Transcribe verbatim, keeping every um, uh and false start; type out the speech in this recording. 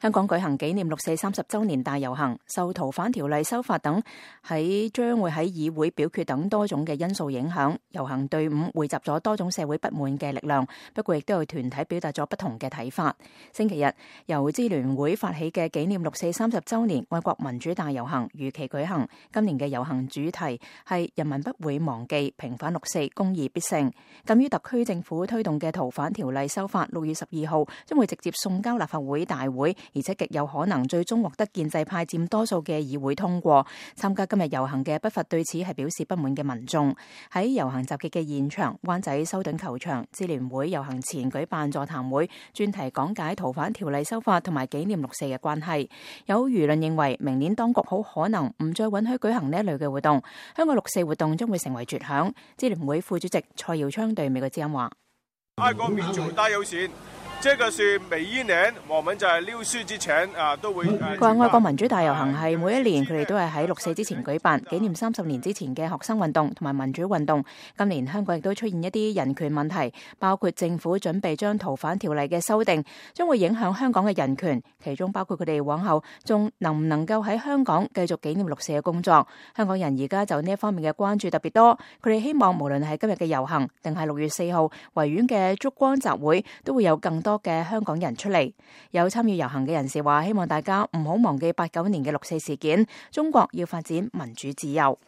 香港舉行紀念六四三十週年大遊行，受逃犯條例修法等喺將會喺議會表決等多種嘅因素影響，遊行隊伍匯集咗多種社會不滿嘅力量，不過亦都有團體表達咗不同嘅睇法。星期日由支聯會發起嘅紀念六四三十週年愛國民主大遊行如期舉行，今年嘅遊行主題係人民不會忘記，平反六四，公義必勝。鑒於特區政府推動嘅逃犯條例修法六月十二號將會直接送交立法會大會，而且極有可能最終獲得建制派佔多數嘅議會通過。參加今日遊行嘅不乏對此係表示不滿嘅民眾。喺遊行集結嘅現場，灣仔修頓球場，支聯會遊行前舉辦座談會，專題講解逃犯條例修法同埋紀念六四嘅關係。有輿論認為明年當局好可能唔再允許舉行呢一類嘅活動，香港六四活動將會成為絕響。支聯會副主席蔡耀昌對美國之音話：愛國民主大遊行，這個是每一年我們在六四之前啊都會。佢話愛國民主大遊行係每一年佢哋都係喺六四之前舉辦，紀念三十年之前嘅學生運動同埋民主運動。今年香港亦都出現一啲人權問題，包括政府準備將逃犯條例嘅修訂將會影響香港嘅人權，其中包括佢哋往後仲能唔能夠喺香港繼續紀念六四嘅工作。香港人而家就呢一方面嘅關注特別多，佢哋希望無論係今日嘅遊行定係六月四號維園嘅燭光集會，都會有更多嘅香港人出嚟。有參與遊行嘅人士話，希望大家唔好忘記八九年嘅六四事件，中國要發展民主自由。